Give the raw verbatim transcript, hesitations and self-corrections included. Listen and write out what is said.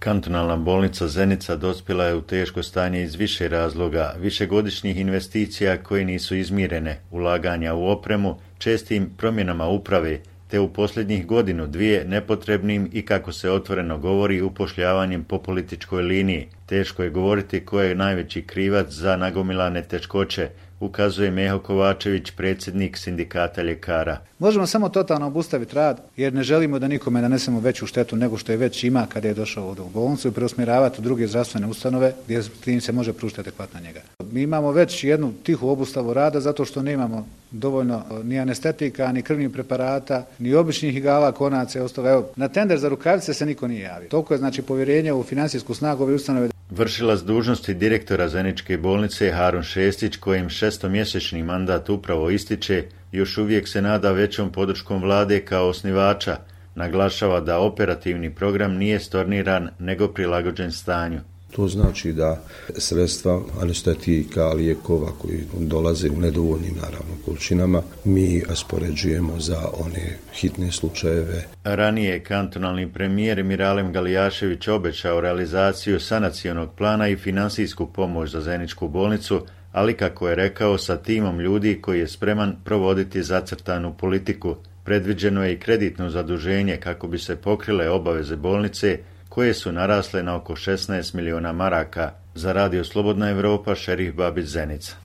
Kantonalna bolnica Zenica dospjela je u teško stanje iz više razloga, višegodišnjih investicija koje nisu izmirene, ulaganja u opremu, čestim promjenama uprave, te u posljednjih godinu dvije nepotrebnim i, kako se otvoreno govori, upošljavanjem po političkoj liniji. Teško je govoriti ko je najveći krivac za nagomilane teškoće, ukazuje Meho Kovačević, predsjednik sindikata ljekara. Možemo samo totalno obustaviti rad jer ne želimo da nikome nanesemo veću štetu nego što je već ima kada je došao ovdje u bolnicu i preusmjeravati u druge zdravstvene ustanove gdje im se može pružiti adekvatna njega. Mi imamo već jednu tihu obustavu rada zato što nemamo dovoljno ni anestetika, ni krvnih preparata, ni običnih igala, konaca i ostalo. Evo, na tender za rukavice se niko nije javio. Toliko je znači povjerenje u financijsku snagu ove ustanove. Vršilac dužnosti direktora Zeničke bolnice Harun Šestić, kojem šestomjesečni mandat upravo ističe, još uvijek se nada većom podrškom vlade kao osnivača. Naglašava da operativni program nije storniran nego prilagođen stanju. To znači da sredstva anestetika, lijekova koji dolaze u nedovoljnim naravno količinama mi raspoređujemo za one hitne slučajeve. Ranije je kantonalni premijer Miralem Galijašević obećao realizaciju sanacionog plana i finansijsku pomoć za Zeničku bolnicu, ali kako je rekao, sa timom ljudi koji je spreman provoditi zacrtanu politiku. Predviđeno je i kreditno zaduženje kako bi se pokrile obaveze bolnice, koje su narasle na oko šesnaest miliona maraka. Za Radio Slobodna Evropa, Šerif Babić, Zenica.